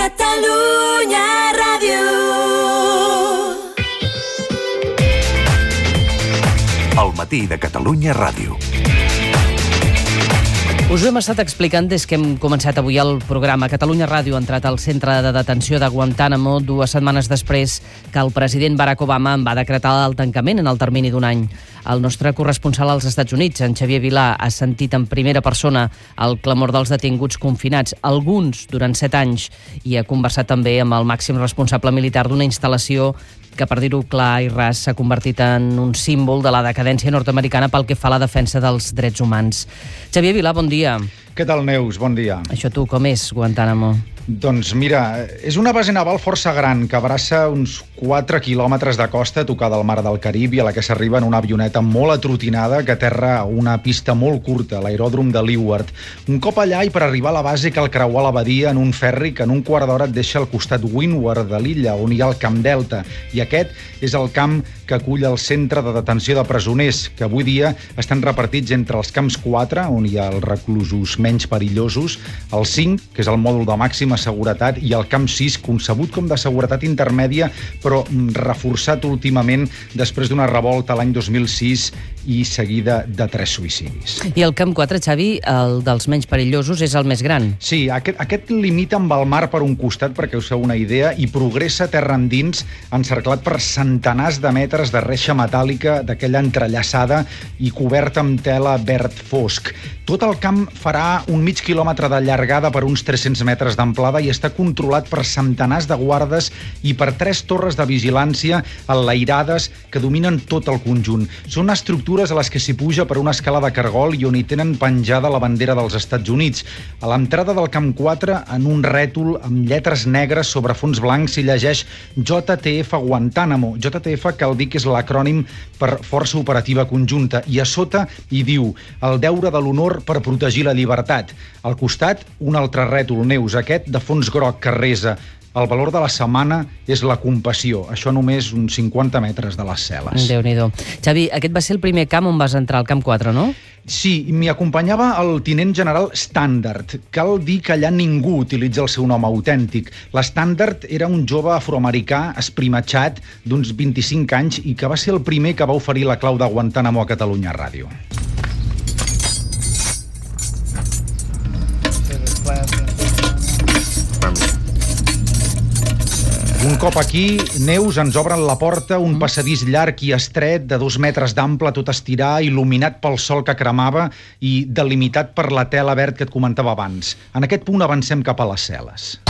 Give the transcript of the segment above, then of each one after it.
Catalunya Ràdio. El matí de Catalunya Ràdio. Us ho hem estat explicant des que hem començat avui el programa. Catalunya Ràdio ha entrat al centre de detenció de Guantánamo 2 setmanes després que el president Barack Obama en va decretar el tancament en el termini d'un any. El nostre corresponsal als Estats Units, en Xavier Vilà, ha sentit en primera persona el clamor dels detinguts confinats, alguns durant 7 anys, i ha conversat també amb el màxim responsable militar d'una instal·lació que, per dir-ho clar i ras, s'ha convertit en un símbol de la decadència nord-americana pel que fa a la defensa dels drets humans. Xavier Vilà, bon dia. Què tal, Neus? Bon dia. Això tu, com és Guantánamo? Doncs mira, és una base naval força gran que abraça uns 4 quilòmetres de costa tocada al mar del Carib i a la que s'arriba en una avioneta molt atrotinada que aterra a una pista molt curta, l'aeròdrom de Leeward. Un cop allà i per arribar a la base cal creuar la badia en un ferri que en un quart d'hora et deixa al costat Windward de l'illa, on hi ha el Camp Delta. I aquest és el camp que acull el centre de detenció de presoners, que avui dia estan repartits entre els camps 4, on hi ha els reclusos menys perillosos, el 5, que és el mòdul de màxima seguretat, i el camp 6, concebut com de seguretat intermèdia, però reforçat últimament després d'una revolta l'any 2006 i seguida de 3 suïcidis. I el camp 4, Xavi, el dels menys perillosos, és el més gran. Sí, aquest limita amb el mar per un costat, perquè us feu una idea, i progressa terra endins, encerclat per centenars de metres de reixa metàl·lica d'aquella entrellaçada i coberta amb tela verd fosc. Tot el camp farà un mig quilòmetre de llargada per uns 300 metres d'amplada i està controlat per centenars de guardes i per 3 torres de vigilància enlairades que dominen tot el conjunt. Són estructures a les que s'hi puja per una escala de cargol i on hi tenen penjada la bandera dels Estats Units. A l'entrada del camp 4, en un rètol amb lletres negres sobre fons blancs, s'hi llegeix JTF Guantánamo. JTF cal dir que és l'acrònim per Força Operativa Conjunta, i a sota hi diu el deure de l'honor per protegir la llibertat. Al costat, un altre rètol, Neus, aquest de fons groc que resa: el valor de la setmana és la compassió. Això només uns 50 metres de les cel·les. Déu-n'hi-do. Xavi, aquest va ser el primer camp on vas entrar, al camp 4, no? Sí, m'hi acompanyava el tinent general Standard. Cal dir que allà ningú utilitza el seu nom autèntic. L'Standard era un jove afroamericà esprimatxat d'uns 25 anys i que va ser el primer que va oferir la clau de Guantánamo a Catalunya Ràdio. Un cop aquí, Neus, ens obren la porta, un passadís llarg i estret de 2 metres d'ample, tot estirar, il·luminat pel sol que cremava i delimitat per la tela verd que et comentava abans. En aquest punt avancem cap a les cel·les.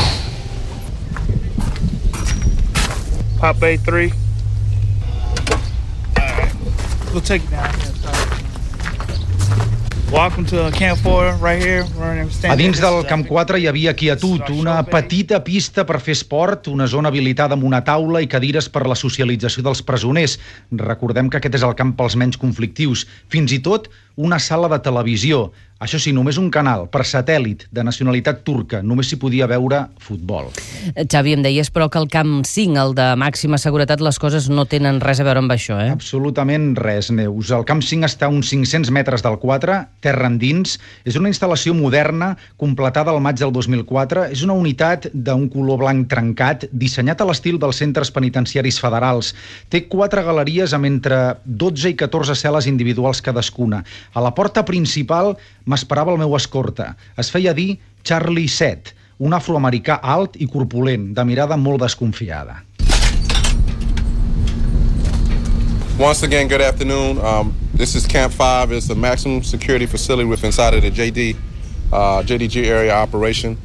Pop A3. We'll take it down. Welcome to Camp 4, right here. A dins del Camp 4 hi havia quietud, una petita pista per fer esport, una zona habilitada amb una taula i cadires per la socialització dels presoners. Recordem que aquest és el camp pels menys conflictius. Fins i tot una sala de televisió. Això sí, només un canal, per satèl·lit, de nacionalitat turca. Només s'hi podia veure futbol. Xavi, em deies, però, que el camp 5, el de màxima seguretat, les coses no tenen res a veure amb això, eh? Absolutament res, Neus. El camp 5 està a uns 500 metres del 4, terra endins. És una instal·lació moderna, completada al maig del 2004. És una unitat d'un color blanc trencat, dissenyat a l'estil dels centres penitenciaris federals. Té 4 galeries amb entre 12 i 14 cel·les individuals cadascuna. A la porta principal m'esperava el meu escorta. Es feia dir Charlie 7, un afroamericà alt i corpulent, de mirada molt desconfiada. Once again, good afternoon. This is Camp 5. It's a maximum security facility within inside of the JDG area operation.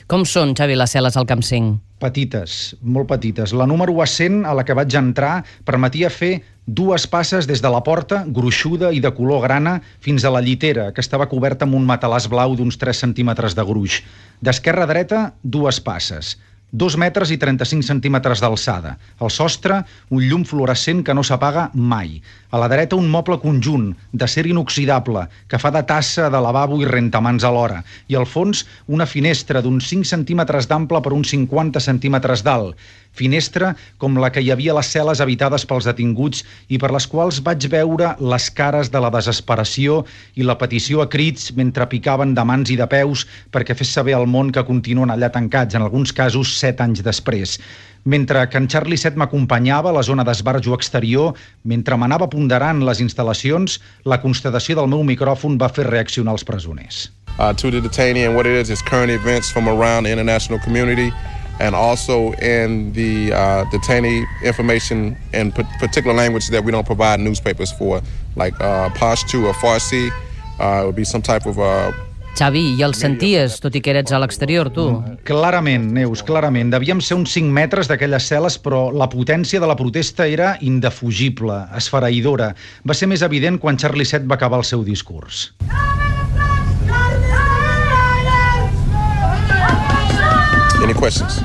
Com són, Xavi, les cel·les al camp 5? Petites, molt petites. La número 100, a la que vaig entrar, permetia fer 2 passes des de la porta, gruixuda i de color grana, fins a la llitera, que estava coberta amb un matalàs blau d'uns 3 centímetres de gruix. D'esquerra a dreta, 2 passes. 2 metres i 35 centímetres d'alçada. Al sostre, un llum fluorescent que no s'apaga mai. A la dreta, un moble conjunt, d'acer inoxidable, que fa de tassa, de lavabo i rentamans alhora. I al fons, una finestra d'uns 5 centímetres d'ample per uns 50 centímetres d'alt. finestra com la que hi havia a les cel·les habitades pels detinguts i per les quals vaig veure les cares de la desesperació i la petició a crits mentre picaven de mans i de peus perquè fes saber al món que continuen allà tancats, en alguns casos 7 anys després. Mentre que en Charlie 7 m'acompanyava a la zona d'esbarjo exterior, mentre m'anava ponderant les instal·lacions, la constatació del meu micròfon va fer reaccionar els presoners. To the detainee, and what it is current events from around the international community, and also in the detainee information in particular language that we don't provide newspapers for, like Pashto or Farsi. It would be some type of... Xavi, i el senties, tot i que eres a l'exterior, tu? Clarament, Neus, clarament. Devíem ser uns 5 metres d'aquelles cel·les, però la potència de la protesta era indefugible, esfereïdora. Va ser més evident quan Charlie 7 va acabar el seu discurs. Any questions?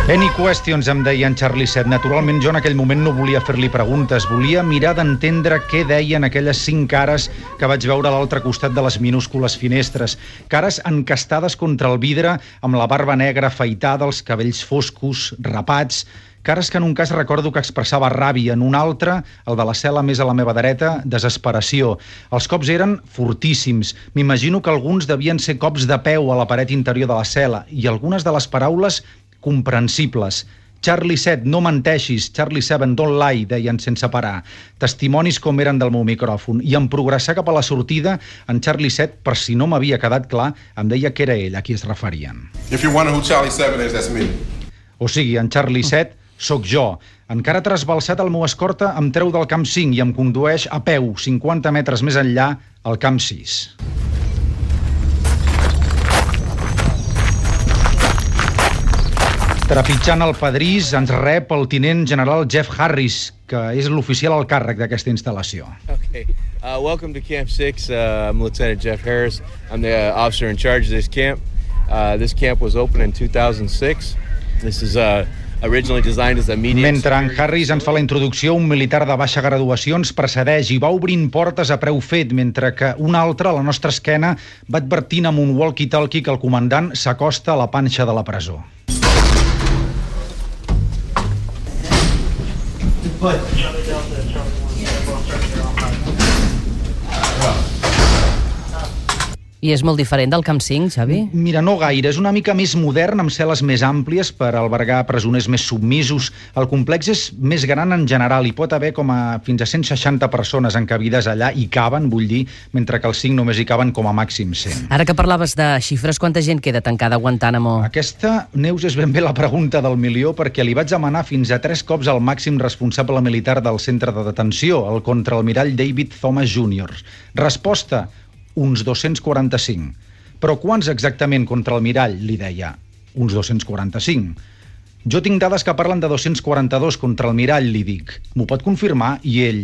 Any questions, em deia en Charlie 7. Naturalment, jo en aquell moment no volia fer-li preguntes. Volia mirar d'entendre què deien aquelles 5 cares que vaig veure a l'altre costat de les minúscules finestres. Cares encastades contra el vidre, amb la barba negra afaitada, els cabells foscos, rapats. Cares que en un cas recordo que expressava ràbia, en un altre, el de la cel·la més a la meva dreta, desesperació. Els cops eren fortíssims. M'imagino que alguns devien ser cops de peu a la paret interior de la cel·la i algunes de les paraules comprensibles. Charlie 7, no menteixis. Charlie 7, don't lie, deien sense parar. Testimonis com eren del meu micròfon. I en progressar cap a la sortida, en Charlie 7, per si no m'havia quedat clar, em deia que era ell a qui es referien. If you're wondering who Charlie 7 is, that's me. O sigui, en Charlie 7 sóc jo. Encara trasbalsat, el meu escorta em treu del camp 5 i em condueix a peu 50 metres més enllà al camp 6. Trepitjant el pedrís ens rep el tinent general Jeff Harris, que és l'oficial al càrrec d'aquesta instal·lació. Okay. Welcome to Camp 6. I'm Lieutenant Jeff Harris. I'm the officer in charge of this camp. This camp was opened in 2006. This is originally designed as a medium... Mentre en Harris ens fa la introducció, un militar de baixa graduació ens precedeix i va obrint portes a preu fet, mentre que un altre, a la nostra esquena, va advertint amb un walkie-talkie que el comandant s'acosta a la panxa de la presó. I és molt diferent del Camp 5, Xavi? Mira, no gaire. És una mica més modern, amb cel·les més àmplies per albergar presoners més submisos. El complex és més gran en general. Hi pot haver com a fins a 160 persones encabides allà, i caben, vull dir, mentre que els 5 només hi caben com a màxim 100. Ara que parlaves de xifres, quanta gent queda tancada a Guantánamo? Aquesta, Neus, és ben bé la pregunta del milió, perquè li vaig demanar fins a 3 cops al màxim responsable militar del centre de detenció, el contraalmirall David Thomas Jr. Resposta: uns 245. Però quants exactament, contraalmirall? Li deia. Uns 245. Jo tinc dades que parlen de 242, contraalmirall, li dic. M'ho pot confirmar? I ell,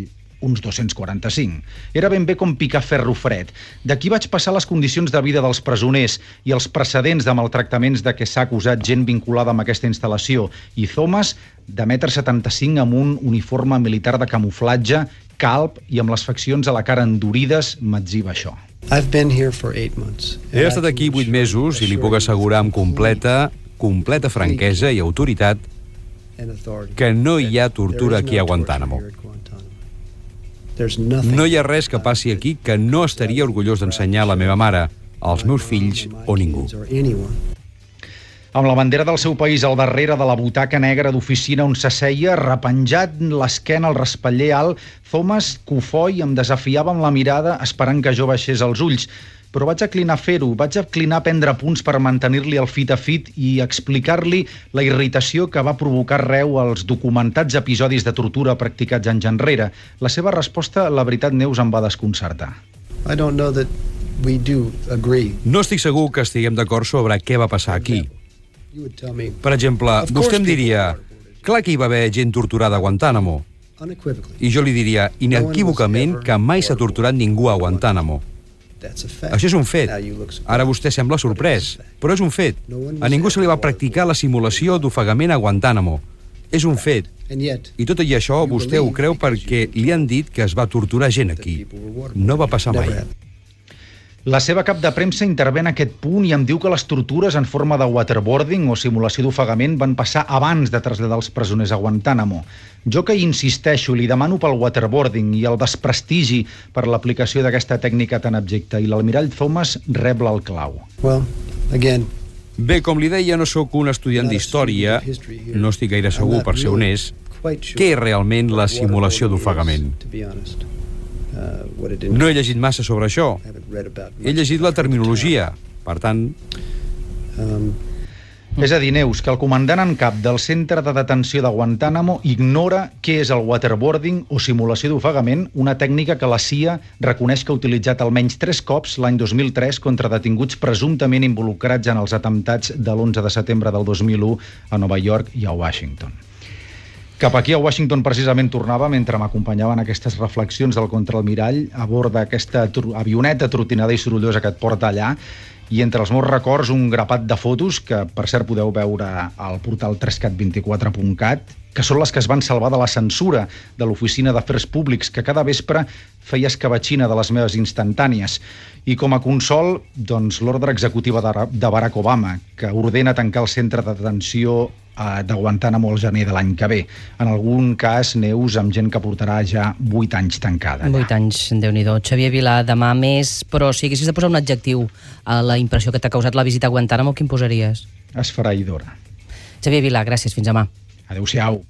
uns 245. Era ben bé com picar ferro fred. D'aquí vaig passar les condicions de vida dels presoners i els precedents de maltractaments de què s'ha acusat gent vinculada amb aquesta instal·lació. I Thomas, de 1,75 m, amb un uniforme militar de camuflatge, calb i amb les faccions a la cara endurides, m'etziba això. He estat aquí 8 mesos i li puc assegurar amb completa franquesa i autoritat que no hi ha tortura aquí a Guantánamo. No hi ha res que passi aquí que no estaria orgullós d'ensenyar a la meva mare, als meus fills o ningú. Amb la bandera del seu país al darrere de la butaca negra d'oficina on s'asseia, repenjat l'esquena al raspaller alt, Thomas, cofoi, em desafiava amb la mirada esperant que jo baixés els ulls. Però vaig aclinar a fer-ho, vaig aclinar a prendre punts per mantenir-li el fit a fit i explicar-li la irritació que va provocar arreu els documentats episodis de tortura practicats anys enrere. La seva resposta, la veritat, Neus, em va desconcertar. No estic segur que estiguem d'acord sobre què va passar aquí. Per exemple, vostè em diria, clar que hi va haver gent torturada a Guantánamo. I jo li diria, inequívocament, que mai s'ha torturat ningú a Guantánamo. Això és un fet. Ara vostè sembla sorprès, però és un fet. A ningú se li va practicar la simulació d'ofegament a Guantánamo. És un fet. I tot i això vostè ho creu perquè li han dit que es va torturar gent aquí. No va passar mai. La seva cap de premsa intervé en aquest punt i em diu que les tortures en forma de waterboarding o simulació d'ofegament van passar abans de traslladar els presoners a Guantánamo. Jo que hi insisteixo, li demano pel waterboarding i el desprestigi per l'aplicació d'aquesta tècnica tan abjecta, i l'almirall Thomas rebla el clau. Bé, com li deia, no sóc un estudiant d'història, no estic gaire segur, per ser honest, què és realment la simulació d'ofegament. No he llegit massa sobre això. He llegit la terminologia. Per tant... És a dir, Neus, que el comandant en cap del centre de detenció de Guantánamo ignora què és el waterboarding o simulació d'ofegament, una tècnica que la CIA reconeix que ha utilitzat almenys 3 cops l'any 2003 contra detinguts presumptament involucrats en els atemptats de l'11 de setembre del 2001 a Nova York i a Washington. Cap aquí a Washington precisament tornava mentre m'acompanyaven aquestes reflexions del contraalmirall a bord d'aquesta avioneta trotinada i sorollosa que et porta allà, i entre els meus records un grapat de fotos que, per cert, podeu veure al portal 3cat24.cat, que són les que es van salvar de la censura de l'Oficina d'Afers Públics, que cada vespre feia escabatxina de les meves instantànies. I com a consol, doncs, l'ordre executiva de Barack Obama, que ordena tancar el centre de detenció de Guantánamo al gener de l'any que ve. En algun cas, Neus, amb gent que portarà ja 8 anys tancada. 8 anys, Déu-n'hi-do. Xavier Vilà, demà més, però si haguessis de posar un adjectiu a la impressió que t'ha causat la visita a Guantánamo, quin posaries? Esfereïdora. Xavier Vilà, gràcies, fins demà. Adéu-siau.